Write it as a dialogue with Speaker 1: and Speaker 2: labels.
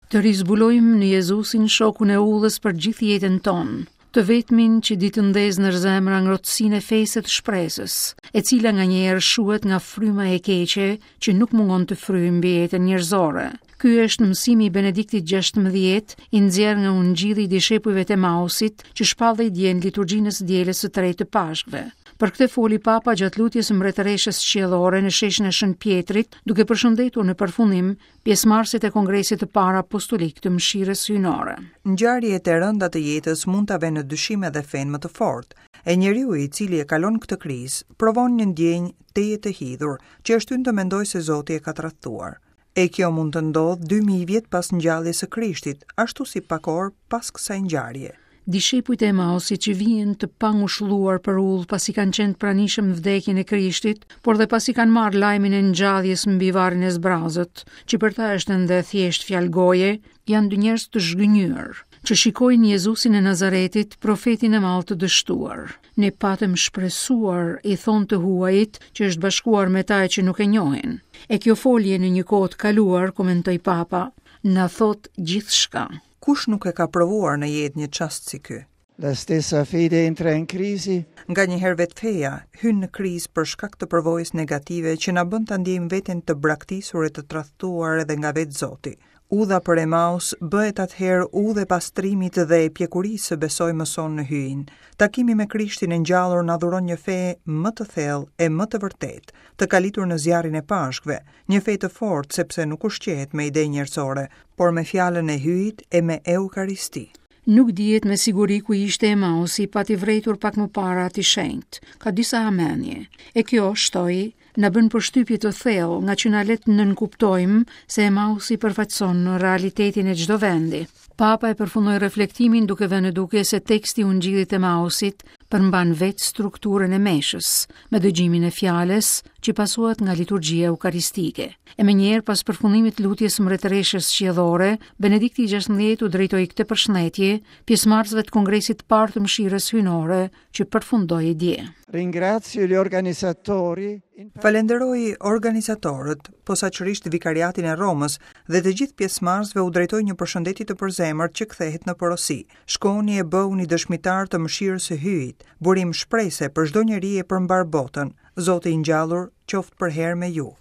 Speaker 1: Të rizbulojmë në Jezusin shokun e udhës për gjithë jetën tonë, të vetmin që di të ndezë në zemra ngrohtësinë e fesë e të shpresës, e cila nganjëherë shuhet nga fryma e keqe që nuk mungon të fryjë mbi jetën njerëzore. Ky është mësimi i Benediktit XVI, i nxjerrë nga Ungjilli i dishepujve të Emausit, që shpallej dje në liturgjinë e së dielës së tretë të Pashkëve. Për këtë foli Papa gjatë lutjes së Mbretëreshës Qiellore në sheshin e Shën Pjetrit, duke përshëndetur në përfundim pjesëmarrësit e Kongresit të Parë Apostolik të Mëshirës Hyjnore.
Speaker 2: Ngjarjet e rënda të jetës mund ta venë në dyshim edhe fenë më të fortë. E njeriu i cili e kalon këtë krizë, provon një ndjenjë tejet të hidhur, që e shtyn të mendojë se Zoti e ka tradhtuar. E kjo mund të ndodhë 2000 vjet pas ngjalljes së Krishtit, ashtu si pak orë pas kësaj
Speaker 1: ngjarje. Dishepujt e Emausit që vijnë të pangushëlluar për udhë pasi kanë qenë të pranishëm në vdekjen e Krishtit, por dhe pasi kanë marrë lajmin e ngjalljes mbi varrin e zbrazët, që për ta është ende thjesht fjalë goje, janë dy njerëz të zhgënjyer, që shikojnë Jezusin e Nazaretit, profetin e madh të dështuar. Ne patëm shpresuar, i thonë të huajit, që është bashkuar me ta e që nuk e njohin. E kjo folje në një kohë të kaluar, komentoi Papa, na thotë gjithçka.
Speaker 2: Kush nuk e ka provuar në jetë një çast si
Speaker 3: ky? La stessa fede entra in crisi.
Speaker 2: Nganjëherë vetë feja hyn në krizë për shkak të përvojës negative që na bën ta ndjejmë veten të braktisur e të tradhtuar edhe nga vetë Zoti. Udha për Emaus bëhet atëherë udhë e pastrimit dhe e pjekurisë së besojmës sonë në Hyjin. Takimi me Krishtin e ngjallur na dhuron një fe më të thellë e më të vërtetë, të kalitur në zjarrin e Pashkëve, Një fe të fortë sepse nuk ushqehet me ide njerëzore, por me fjalën e Hyjit e me Eukaristi.
Speaker 1: Nuk dihet me siguri ku ishte Emausi, pati vërejtur pak më parë Ati i Shenjtë. Ka disa hamendje. E kjo, shtoi, na bën përshtypje të thellë, ngaqë na lë të nënkuptojmë se Emausi përfaqëson realitetin e çdo vendi. Papa e përfundoi reflektimin duke vënë në dukje se teksti i Ungjillit të Emausit përmban vetë strukturën e meshës, me dëgjimin e fjalës që pasohet nga liturgjia eukaristike. E menjëherë pas përfundimit të lutjes së Mbretëreshës Qiellore, Benedikti i XVI u drejtoi këtë përshëndetje pjesëmarrësve të Kongresit të Parë të Mëshirës Hyjnore që përfundoi dje.
Speaker 3: Ringrazio gli organizzatori.
Speaker 2: Falenderoj organizatorët, posaçërisht Vikariatin e Romës dhe të gjithë pjesëmarrësve u drejtoj një përshëndetje të përzemërt që kthehet në porosi. Shkoni e bëhuni dëshmitarë të mëshirës së Hyjit, burim shprese për çdo njeri e për mbarë botën. Zoti i ngjallur qoftë përherë me ju.